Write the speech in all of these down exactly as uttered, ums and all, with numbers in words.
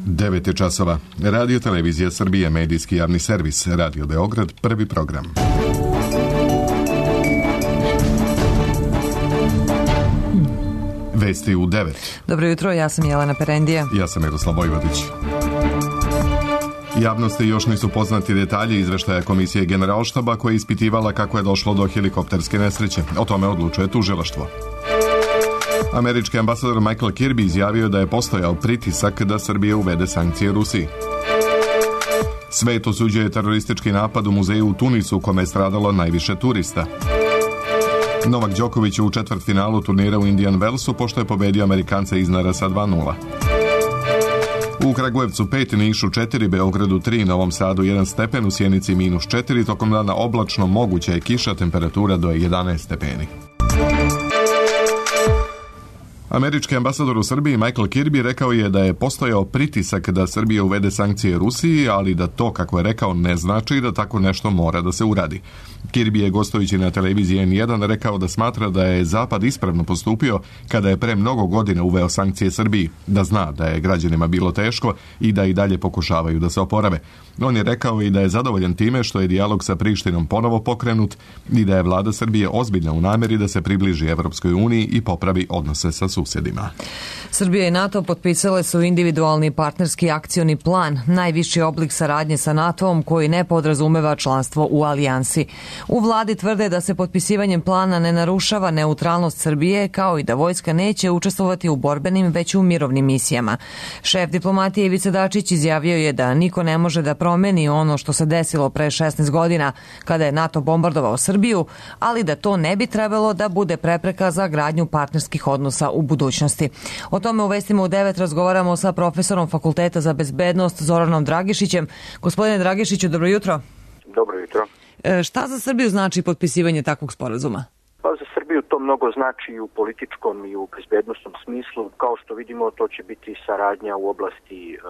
devet je časova. Radio Televizija Srbije, medijski javni servis, Radio Beograd, prvi program. Vesti u devet. Dobro jutro, ja sam Jelena Perendija. Ja sam Miroslav Vojvodić. Javnosti još nisu poznati detalji izveštaja Komisije Generalštaba koja je ispitivala kako je došlo do helikopterske nesreće. O tome odlučuje tužilaštvo. Američki ambasador Michael Kirby izjavio da je postojao pritisak da Srbija uvede sankcije Rusiji. Svet osuđuje teroristički napad u muzeju u Tunisu u kome je stradalo najviše turista. Novak Đoković u četvrtfinalu turnira u Indian Wellsu pošto je pobedio Amerikanca Iznara sa dva nula. U Kragujevcu pet, Nišu četiri, Beogradu tri, Novom Sadu jedan stepen, u Sjenici minus četiri, tokom dana oblačno, moguća je kiša, temperatura do jedanaest stepeni. Američki ambasador u Srbiji Michael Kirby rekao je da je postojao pritisak da Srbija uvede sankcije Rusiji, ali da to, kako je rekao, ne znači da tako nešto mora da se uradi. Kirby je gostujući na televiziji en jedan rekao da smatra da je Zapad ispravno postupio kada je pre mnogo godina uveo sankcije Srbiji, da zna da je građanima bilo teško i da i dalje pokušavaju da se oporave. On je rekao i da je zadovoljan time što je dijalog sa Prištinom ponovo pokrenut i da je vlada Srbije ozbiljna u nameri da se približi Evropskoj uniji i popravi odnose sa susjedima. Srbija i NATO potpisale su individualni partnerski akcioni plan, najviši oblik saradnje sa NATO-om koji ne podrazumeva članstvo u alijansi. U vladi tvrde da se potpisivanjem plana ne narušava neutralnost Srbije, kao i da vojska neće učestvovati u borbenim, već u mirovnim misijama. Šef diplomatije Ivica Dačić izjavio je da niko ne može da promeni ono što se desilo pre šesnaest godina kada je NATO bombardovao Srbiju, ali da to ne bi trebalo da bude prepreka za gradnju partnerskih odnosa u budućnosti. O tome u vestima u devet razgovaramo sa profesorom Fakulteta za bezbednost Zoranom Dragišićem. Gospodine Dragišiću, dobro jutro. Dobro jutro. E, šta za Srbiju znači potpisivanje takvog sporazuma? Pa za Srbiju to mnogo znači i u političkom i u bezbednostnom smislu. Kao što vidimo, to će biti saradnja u oblasti uh,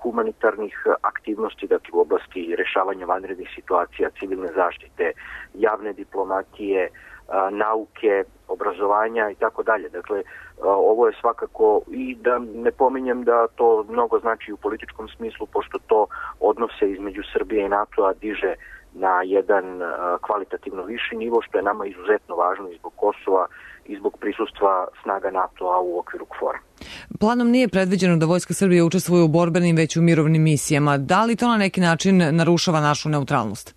humanitarnih aktivnosti, dakle u oblasti rešavanja vanrednih situacija, civilne zaštite, javne diplomatije, uh, nauke, obrazovanja i tako dalje. Dakle, uh, ovo je svakako, i da ne pominjem da to mnogo znači u političkom smislu, pošto to odnose između Srbije i NATO-a diže na jedan uh, kvalitativno viši nivo, što je nama izuzetno važno i zbog Kosova i zbog prisustva snaga NATO-a u okviru KFOR-a. Planom nije predviđeno da Vojska Srbije učestvuje u borbenim, već u mirovnim misijama. Da li to na neki način narušava našu neutralnost?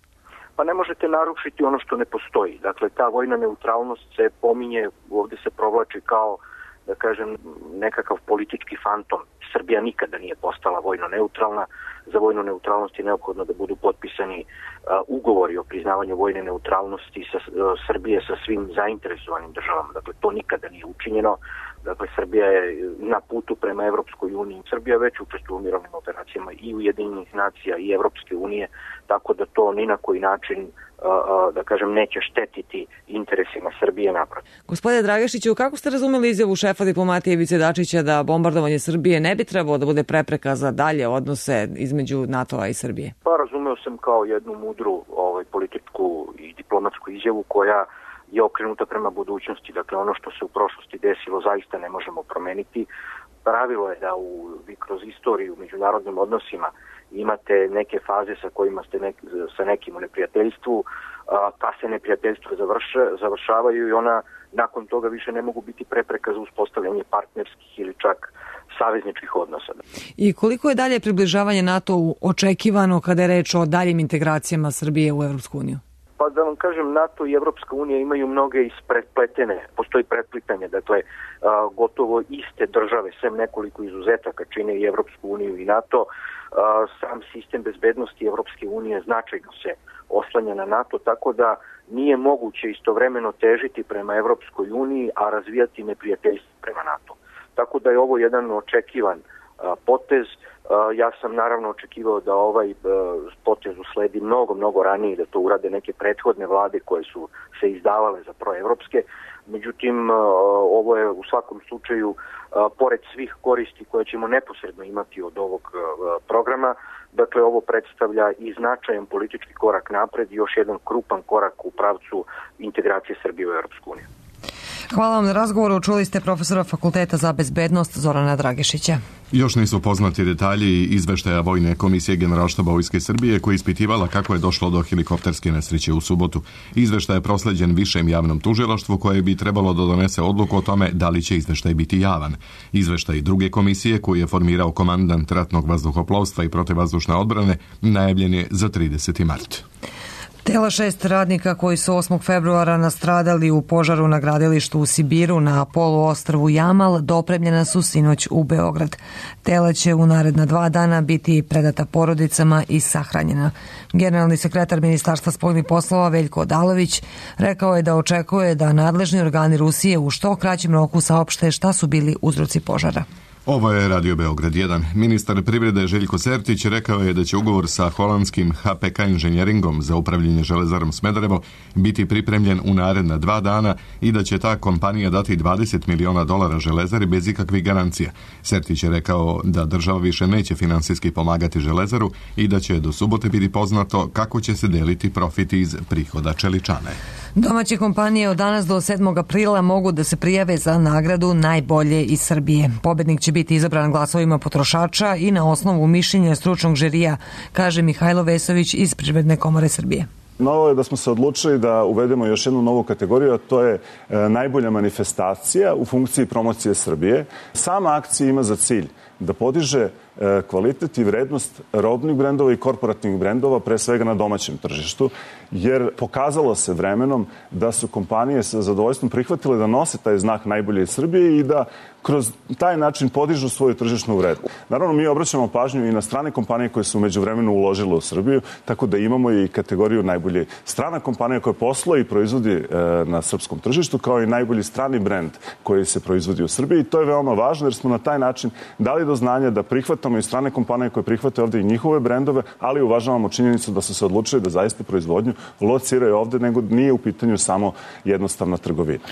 Pa ne možete narušiti ono što ne postoji. Dakle, ta vojna neutralnost se pominje, ovdje se provlači kao, da kažem, nekakav politički fantom. Srbija nikada nije postala vojno neutralna. Za vojnu neutralnost je neophodno da budu potpisani uh, ugovori o priznavanju vojne neutralnosti sa, uh, Srbije sa svim zainteresovanim državama. Dakle, to nikada nije učinjeno. Dakle, Srbija je na putu prema Evropskoj uniji. Srbija već učestvuje u mirovnim operacijama i Ujedinjenih nacija i Evropske unije, tako da to ni na koji način, uh, uh, da kažem, neće štetiti interesima Srbije naprotiv. Gospodine Dragišiću, kako ste razumeli izjavu šefa diplomatije Ivice Dačića da bombardovanje Srbije ne bi trebalo da bude prepreka za dalje odnose između NATO-a i Srbije? Pa razumeo sam kao jednu mudru ovaj, političku i diplomatsku izjavu koja je okrenuta prema budućnosti. Dakle, ono što se u prošlosti desilo zaista ne možemo promeniti. Pravilo je da u, vi kroz istoriju u međunarodnim odnosima imate neke faze sa kojima ste nek, sa nekim u neprijateljstvu, a, pa se neprijateljstvo završe, završavaju i ona nakon toga više ne mogu biti prepreka za uspostavljanje partnerskih ili čak savezničkih odnosa. I koliko je dalje približavanje NATO-u očekivano kada je reč o daljim integracijama Srbije u Evropsku uniju? Pa da vam kažem, NATO i Evropska unija imaju mnoge isprepletene, postoji pretplitanje, dakle a, gotovo iste države, sem nekoliko izuzetaka čine i Evropsku uniju i NATO. A, sam sistem bezbednosti Evropske unije značajno se oslanja na NATO, tako da nije moguće istovremeno težiti prema Evropskoj uniji, a razvijati neprijateljstvo prema NATO. Tako da je ovo jedan očekivan a, potez. A, ja sam naravno očekivao da ovaj a, potez usledi mnogo, mnogo ranije, da to urade neke prethodne vlade koje su se izdavale za proevropske. Međutim, a, ovo je u svakom slučaju, a, pored svih koristi koje ćemo neposredno imati od ovog a, programa, dakle ovo predstavlja i značajan politički korak napred i još jedan krupan korak u pravcu integracije Srbije u Europsku uniju. Hvala vam na razgovoru. Čuli ste profesora Fakulteta za bezbednost Zorana Dragišića. Još nisu poznati detalji izveštaja Vojne komisije Generalštaba Vojske Srbije koja je ispitivala kako je došlo do helikopterske nesreće u subotu. Izveštaj je prosleđen višem javnom tužilaštvu koje bi trebalo da donese odluku o tome da li će izveštaj biti javan. Izveštaj druge komisije koju je formirao komandant ratnog vazduhoplovstva i protivvazdušne odbrane najavljen je za trideseti mart. Tela šest radnika koji su osmog februara nastradali u požaru na gradilištu u Sibiru na poluostrvu Jamal dopremljena su sinoć u Beograd. Tela će u naredna dva dana biti predata porodicama i sahranjena. Generalni sekretar Ministarstva spoljnih poslova Veljko Odalović rekao je da očekuje da nadležni organi Rusije u što kraćem roku saopšte šta su bili uzroci požara. Ovo je Radio Beograd jedan. Ministar privrede Željko Sertić rekao je da će ugovor sa holandskim H P K inženjeringom za upravljanje Železarom Smederevo biti pripremljen u naredna dva dana i da će ta kompanija dati dvadeset miliona dolara Železari bez ikakvih garancija. Sertić je rekao da država više neće finansijski pomagati Železaru i da će do subote biti poznato kako će se deliti profit iz prihoda čeličane. Domaće kompanije od danas do sedmog aprila mogu da se prijave za nagradu najbolje iz Srbije. Pobednik će biti izabran glasovima potrošača i na osnovu mišljenja stručnog žirija, kaže Mihajlo Vesović iz Privredne komore Srbije. Novo je da smo se odlučili da uvedemo još jednu novu kategoriju, a to je e, najbolja manifestacija u funkciji promocije Srbije. Sama akcija ima za cilj da podiže e, kvalitet i vrednost robnih brendova i korporativnih brendova, pre svega na domaćem tržištu, jer pokazalo se vremenom da su kompanije sa zadovoljstvom prihvatile da nose taj znak najbolje iz Srbije i da kroz taj način podižu svoju tržišnu vrednost. Naravno, mi obraćamo pažnju i na strane kompanije koje su među vremenu uložile u Srbiju, tako da imamo i kategoriju najbolje strana kompanija koja posluje i proizvodi e, na srpskom tržištu, kao i najbolji strani brend koji se proizvodi u Srbiji. I to je veoma važno jer smo na taj način dali do znanja da prihvatamo i strane kompanije koje prihvate ovde i njihove brendove, ali uvažavamo činjenicu da su se odlučili da zaista proizvodnju lociraju ovde, nego nije u pitanju samo jednostavna trgovina.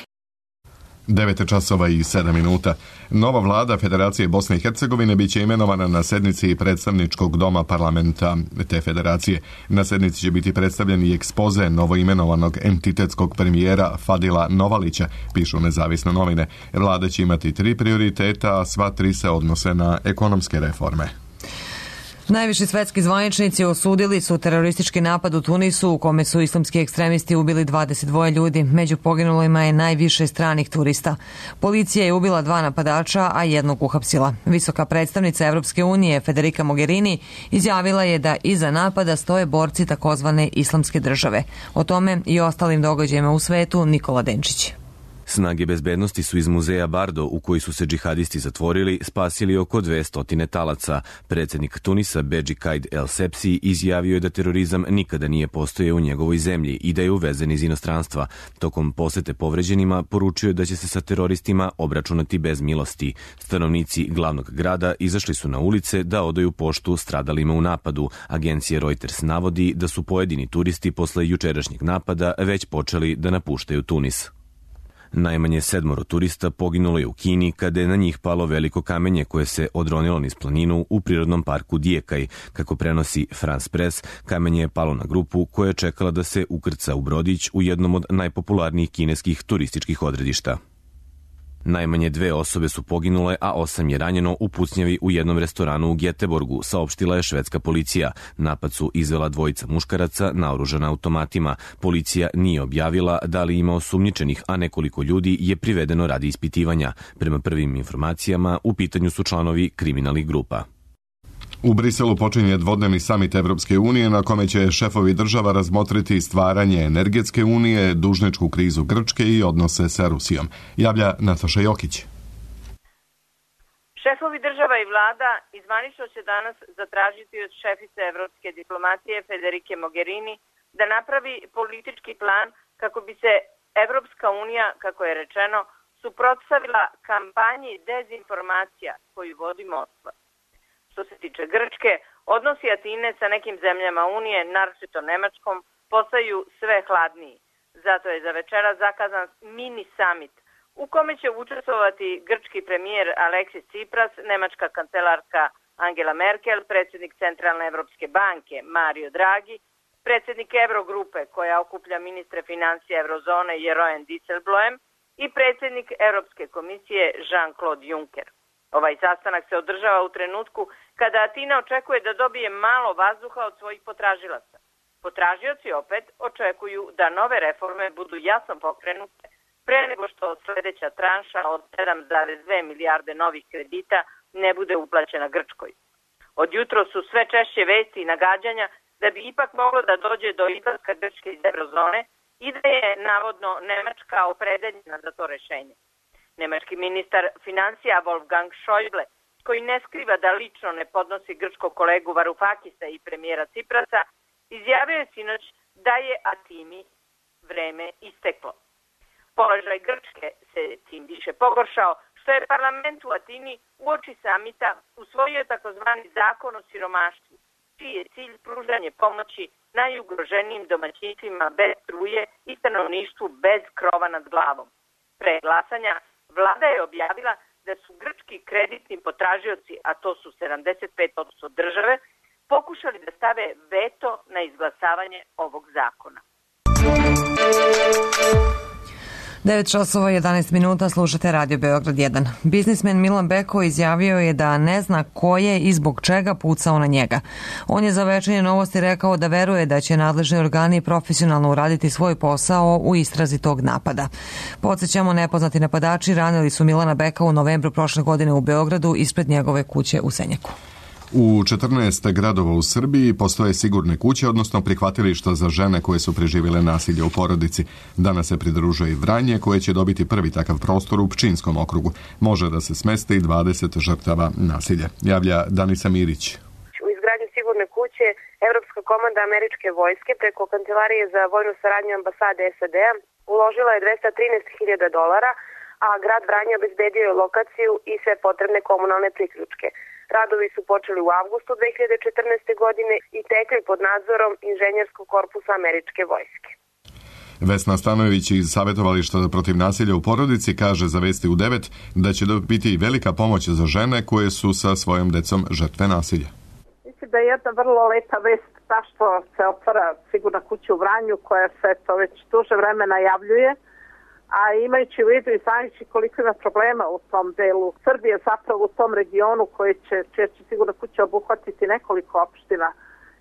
devet časova i sedam minuta. Nova vlada Federacije Bosne i Hercegovine biće imenovana na sednici predstavničkog doma parlamenta te federacije. Na sednici će biti predstavljen i ekspoze novoimenovanog entitetskog premijera Fadila Novalića, pišu nezavisne novine. Vlada će imati tri prioriteta, a sva tri se odnose na ekonomske reforme. Najviši svetski zvaničnici osudili su teroristički napad u Tunisu u kome su islamski ekstremisti ubili dvadeset dva ljudi. Među poginulima je najviše stranih turista. Policija je ubila dva napadača, a jednog uhapsila. Visoka predstavnica Evropske unije Federica Mogherini izjavila je da iza napada stoje borci takozvane islamske države. O tome i ostalim događajima u svetu Nikola Denčić. Snage bezbednosti su iz muzeja Bardo, u koji su se džihadisti zatvorili, spasili oko dvesta talaca. Predsjednik Tunisa Bedži Kaid El Sepsi izjavio je da terorizam nikada nije postojao u njegovoj zemlji i da je uvezen iz inostranstva. Tokom posete povređenima poručio je da će se sa teroristima obračunati bez milosti. Stanovnici glavnog grada izašli su na ulice da odaju poštu stradalima u napadu. Agencija Reuters navodi da su pojedini turisti posle jučerašnjeg napada već počeli da napuštaju Tunis. Najmanje sedmoro turista poginulo je u Kini kada je na njih palo veliko kamenje koje se odronilo niz planinu u prirodnom parku Dijekaj. Kako prenosi France Press, kamenje je palo na grupu koja je čekala da se ukrca u brodić u jednom od najpopularnijih kineskih turističkih odredišta. Najmanje dve osobe su poginule, a osam je ranjeno u pucnjavi u jednom restoranu u Gjeteborgu, saopštila je švedska policija. Napad su izvela dvojica muškaraca naoružana automatima. Policija nije objavila da li ima osumnjičenih, a nekoliko ljudi je privedeno radi ispitivanja. Prema prvim informacijama, u pitanju su članovi kriminalnih grupa. U Briselu počinje dvodnevni samit Evropske unije na kome će šefovi država razmotriti stvaranje energetske unije, dužničku krizu Grčke i odnose sa Rusijom. Javlja Nataša Jokić. Šefovi država i vlada izvanično će danas zatražiti od šefice evropske diplomatije Federike Mogherini da napravi politički plan kako bi se Evropska unija, kako je rečeno, suprotstavila kampanji dezinformacija koju vodi Moskva. Što se tiče Grčke, odnosi Atine sa nekim zemljama Unije, naročito Nemačkom, postaju sve hladniji. Zato je za večera zakazan mini summit u kome će učestvovati grčki premijer Aleksis Tsipras, nemačka kancelarka Angela Merkel, predsjednik Centralne Evropske banke Mario Draghi, predsjednik Eurogrupe koja okuplja ministre financija Eurozone Jeroen Dijsselbloem i predsjednik Europske komisije Jean-Claude Juncker. Ovaj sastanak se održava u trenutku kada Atina očekuje da dobije malo vazduha od svojih potražilaca. Potražioci opet očekuju da nove reforme budu jasno pokrenute pre nego što sledeća tranša od sedam zarez dve milijarde novih kredita ne bude uplaćena Grčkoj. Od jutro su sve češće vesti i nagađanja da bi ipak moglo da dođe do izlaska Grčke iz eurozone i da je navodno Nemačka opredeljena za to rešenje. Nemački ministar financija Wolfgang Schäuble, koji ne skriva da lično ne podnosi grčkog kolegu Varoufakisa i premijera Ciprasa, izjavio je sinoć da je Atini vreme isteklo. Položaj Grčke se tim više pogoršao, što je parlament u Atini uoči samita usvojio takozvani zakon o siromaštvu, čiji je cilj pružanje pomoći najugroženijim domaćinstvima bez struje i stanovništvu bez krova nad glavom. Pre glasanja vlada je objavila da su grčki kreditni potražioci, a to su sedamdeset pet posto države, pokušali da stave veto na izglasavanje ovog zakona. devet časova i jedanaest minuta, slušate Radio Beograd jedan. Biznismen Milan Beko izjavio je da ne zna ko je i zbog čega pucao na njega. On je za Večernje novosti rekao da veruje da će nadležni organi profesionalno uraditi svoj posao u istrazi tog napada. Podsjećamo, nepoznati napadači ranili su Milana Beka u novembru prošle godine u Beogradu ispred njegove kuće u Senjaku. U četrnaest gradova u Srbiji postoje sigurne kuće, odnosno prihvatilišta za žene koje su preživjele nasilje u porodici. Danas se pridružuje i Vranje, koje će dobiti prvi takav prostor u Pčinjskom okrugu. Može da se smeste i dvadeset žrtava nasilja. Javlja Danisa Mirić. U izgradnju sigurne kuće Evropska komanda američke vojske preko Kancelarije za vojnu saradnju ambasade S A D-a uložila je dvesta trinaest hiljada dolara, a grad Vranje obezbedio je lokaciju i sve potrebne komunalne priključke. Radovi su počeli u avgustu dve hiljade četrnaeste. godine i tekli pod nadzorom inženjerskog korpusa američke vojske. Vesna Stanojević iz Savjetovališta protiv nasilja u porodici kaže za Vesti u devet da će biti velika pomoć za žene koje su sa svojom decom žrtve nasilja. Mislim da je jedna vrlo lepa vest ta što se otvara sigurna kuća u Vranju koja se to već duže vremena javljuje. A imajući u vidu i znajući koliko ima problema u tom delu Srbije, zapravo u tom regionu koji će, čija će sigurno kuća obuhvatiti nekoliko opština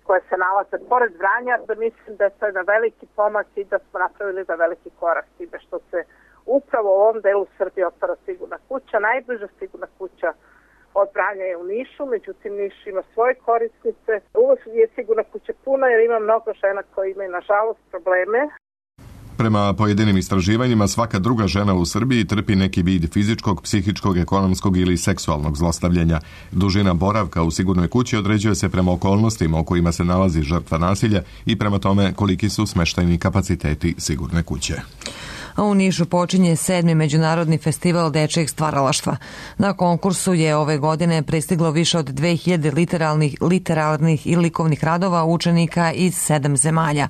koje se nalaze pored Vranja, da mislim da je to jedan veliki pomak i da smo napravili da veliki korak time što se upravo u ovom delu Srbije otvara sigurna kuća. Najbliža sigurna kuća od Vranja je u Nišu, međutim Niš ima svoje korisnice. Uvijek je sigurna kuća puna jer ima mnogo žena koje imaju nažalost probleme. Prema pojedinim istraživanjima, svaka druga žena u Srbiji trpi neki vid fizičkog, psihičkog, ekonomskog ili seksualnog zlostavljanja. Dužina boravka u sigurnoj kući određuje se prema okolnostima u kojima se nalazi žrtva nasilja i prema tome koliki su smeštajni kapaciteti sigurne kuće. A u Nišu počinje sedmi međunarodni festival dečijeg stvaralaštva. Na konkursu je ove godine pristiglo više od dve hiljade literalnih, literarnih i likovnih radova učenika iz sedam zemalja.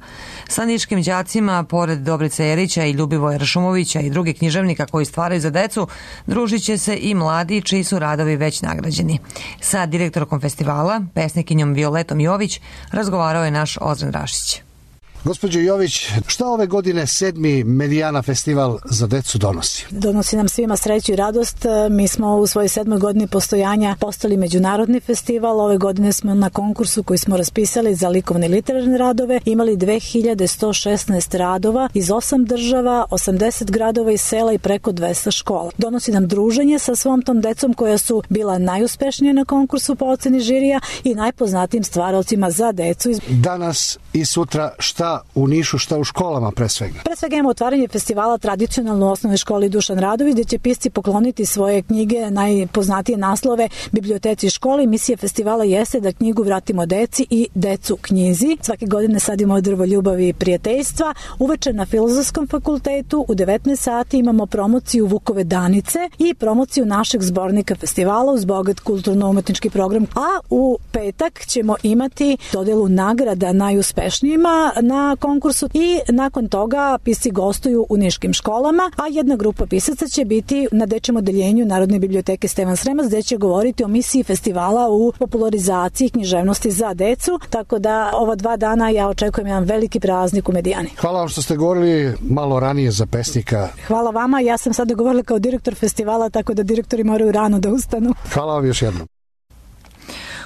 Sa niškim đacima, pored Dobrice Erića i Ljubivoja Ršumovića i drugih književnika koji stvaraju za decu, družit će se i mladi čiji su radovi već nagrađeni. Sa direktorkom festivala, pesnikinjom Violetom Jović, razgovarao je naš Ozren Rašić. Gospođo Jović, šta ove godine sedmi Medijana festival za decu donosi? Donosi nam svima sreću i radost. Mi smo u svojoj sedmoj godini postojanja postali međunarodni festival. Ove godine smo na konkursu koji smo raspisali za likovne i literarne radove imali dve hiljade sto šesnaest radova iz osam država, osamdeset gradova i sela i preko dvesta škola. Donosi nam druženje sa svom tom decom koja su bila najuspešnije na konkursu po oceni žirija i najpoznatijim stvaralcima za decu. Danas i sutra šta u Nišu, šta u školama pre svega? Pre svega imamo otvaranje festivala tradicionalno u osnovnoj školi Dušan Radović, gde će pisci pokloniti svoje knjige, najpoznatije naslove biblioteci školi. Misija festivala jeste da knjigu vratimo deci i decu knjizi. Svake godine sadimo drvo ljubavi i prijateljstva. Uveče na Filozofskom fakultetu u devetnaest sati imamo promociju Vukove danice i promociju našeg zbornika festivala uz bogat kulturno-umetnički program. A u petak ćemo imati dodelu nagrada najuspešnijima na na konkursu i nakon toga pisci gostuju u niškim školama, a jedna grupa pisaca će biti na dečjem odeljenju Narodne biblioteke Stevan Sremac, gde će govoriti o misiji festivala u popularizaciji književnosti za decu, tako da ova dva dana ja očekujem jedan veliki praznik u Medijani. Hvala vam što ste govorili malo ranije za pesnika. Hvala vama, ja sam sada govorila kao direktor festivala, tako da direktori moraju rano da ustanu. Hvala vam još jednom.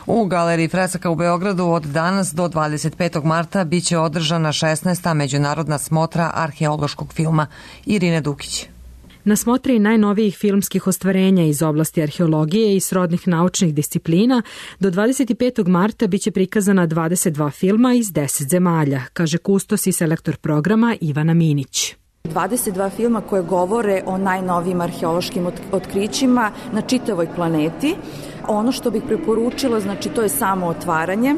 U Galeriji Fresaka u Beogradu od danas do dvadeset petog marta biće održana šesnaesta međunarodna smotra arheološkog filma. Irine Dukić. Na smotri najnovijih filmskih ostvarenja iz oblasti arheologije i srodnih naučnih disciplina do dvadeset petog marta biće prikazana dvadeset dva filma iz deset zemalja, kaže kustos i selektor programa Ivana Minić. dvadeset dva filma koje govore o najnovijim arheološkim otkrićima na čitavoj planeti. Ono što bih preporučila, znači to je samo otvaranje,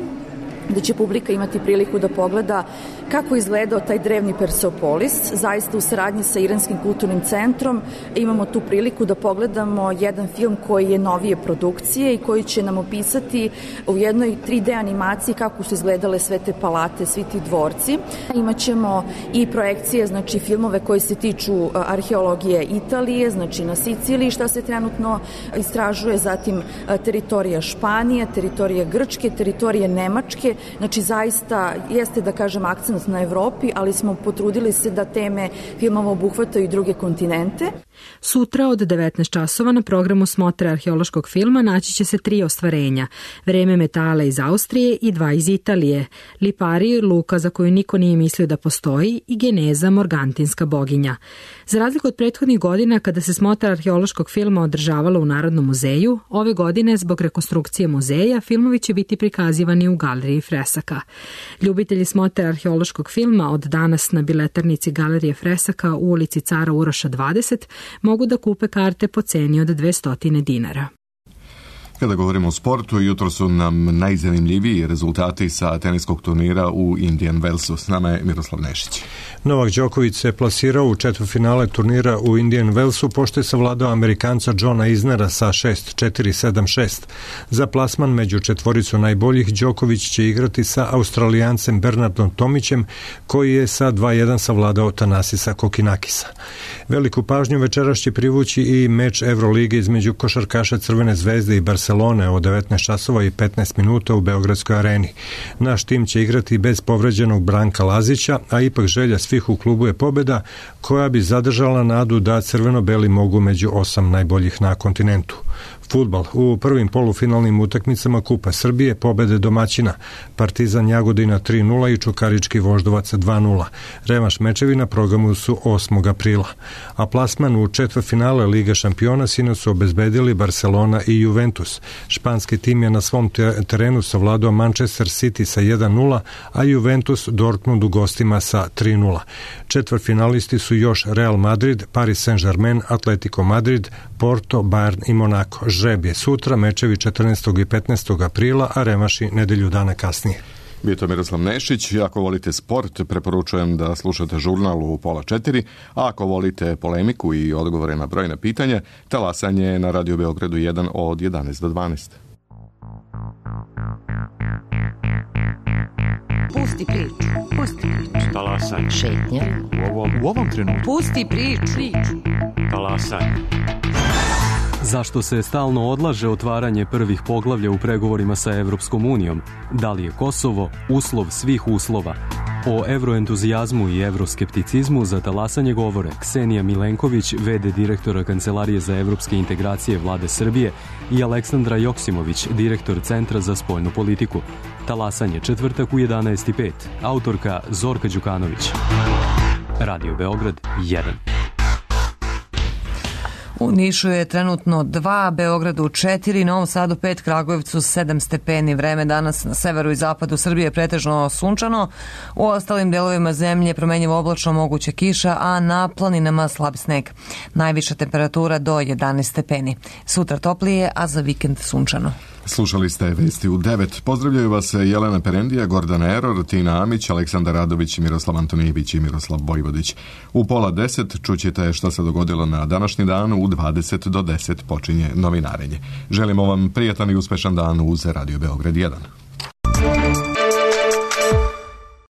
da će publika imati priliku da pogleda kako izgledao taj drevni Persepolis. Zaista u saradnji sa Iranskim kulturnim centrom imamo tu priliku da pogledamo jedan film koji je novije produkcije i koji će nam opisati u jednoj tri D animaciji kako su izgledale sve te palate, svi ti dvorci. Imaćemo i projekcije, znači filmove koji se tiču arheologije Italije, znači na Siciliji šta se trenutno istražuje, zatim teritorija Španije, teritorija Grčke, teritorije Nemačke. Znači zaista jeste da kažem akcent na Evropi, ali smo potrudili se da teme filmova obuhvataju i druge kontinente. Sutra od devetnaest časova na programu smotre arheološkog filma naći će se tri ostvarenja. Vreme metala iz Austrije i dva iz Italije. Lipari, luka za koju niko nije mislio da postoji, i Geneza, morgantinska boginja. Za razliku od prethodnih godina kada se smotra arheološkog filma održavala u Narodnom muzeju, ove godine zbog rekonstrukcije muzeja filmovi će biti prikazivani u Galeriji Fresaka. Ljubitelji smotre arheološkog filma od danas na biletarnici Galerije Fresaka u ulici Cara Uroša dvadeset mogu da kupe karte po ceni od dvesta dinara. Kada govorimo o sportu, jutro su nam najzanimljiviji rezultati sa teniskog turnira u Indian Wellsu. S nama je Miroslav Nešić. Novak Đoković se plasirao u četvrtfinale turnira u Indian Wellsu pošto je savladao Amerikanca Johna Isnera sa šest četiri sedam šest. Za plasman među četvoricu najboljih Đoković će igrati sa Australijancem Bernardom Tomićem, koji je sa dva jedan savladao Tanasisa Kokinakisa. Veliku pažnju večeras će privući i meč Evrolige između košarkaša Crvene zvezde i Barcelone od devetnaest časova i petnaest minuta u Beogradskoj areni. Naš tim će igrati bez povređenog Branka Lazića, a ipak želja svih u klubu je pobjeda koja bi zadržala nadu da crveno-beli mogu među osam najboljih na kontinentu. Fudbal. U prvim polufinalnim utakmicama Kupa Srbije pobede domaćina. Partizan Jagodina tri nula i Čukarički Voždovac dva nula. Revanš mečevi na programu su osmog aprila. A plasman u četvrtfinale Liga šampiona sinoć su obezbedili Barcelona i Juventus. Španski tim je na svom terenu savladao Manchester City sa jedan nula, a Juventus Dortmund u gostima sa tri nula. Četvrtfinalisti su još Real Madrid, Paris Saint-Germain, Atletico Madrid, Porto, Bayern i Monaco. Žreb je sutra, mečevi četrnaestog i petnaestog aprila, a revanši nedelju dana kasnije. Bio to Miroslav Nešić. Ako volite sport, preporučujem da slušate žurnal u pola četiri, a ako volite polemiku i odgovore na brojna pitanja, talasanje je na Radio Beogradu jedan od jedanaest do dvanaest. Pusti priču, pusti priču. Talasanje. Šetnja. U ovom, u ovom trenutku. Pusti priču. priču. Talasanje. Zašto se stalno odlaže otvaranje prvih poglavlja u pregovorima sa Evropskom unijom? Da li je Kosovo uslov svih uslova? O evroentuzijazmu i evroskepticizmu za talasanje govore Ksenija Milenković, ve de direktora Kancelarije za evropske integracije Vlade Srbije, i Aleksandra Joksimović, direktor Centra za spoljnu politiku. Talasanje četvrtak u jedanaest i pet. Autorka Zorka Đukanović. Radio Beograd jedan. U Nišu je trenutno dva, Beogradu četiri, Novom Sadu pet, Kragujevcu sedam stepeni. Vreme danas na severu i zapadu Srbije pretežno sunčano. U ostalim delovima zemlje promenjivo oblačno, moguća kiša, a na planinama slab sneg. Najviša temperatura do jedanaest stepeni. Sutra toplije, a za vikend sunčano. Slušali ste vesti u devet. Pozdravljaju vas Jelena Perendija, Gordana Eror, Tina Amić, Aleksandar Radović, Miroslav Antonijević i Miroslav Vojvodić. U pola deset čućete šta se dogodilo na današnji dan. U dvadeset do deset počinje novinarenje. Želimo vam prijatan i uspešan dan uz Radio Beograd jedan.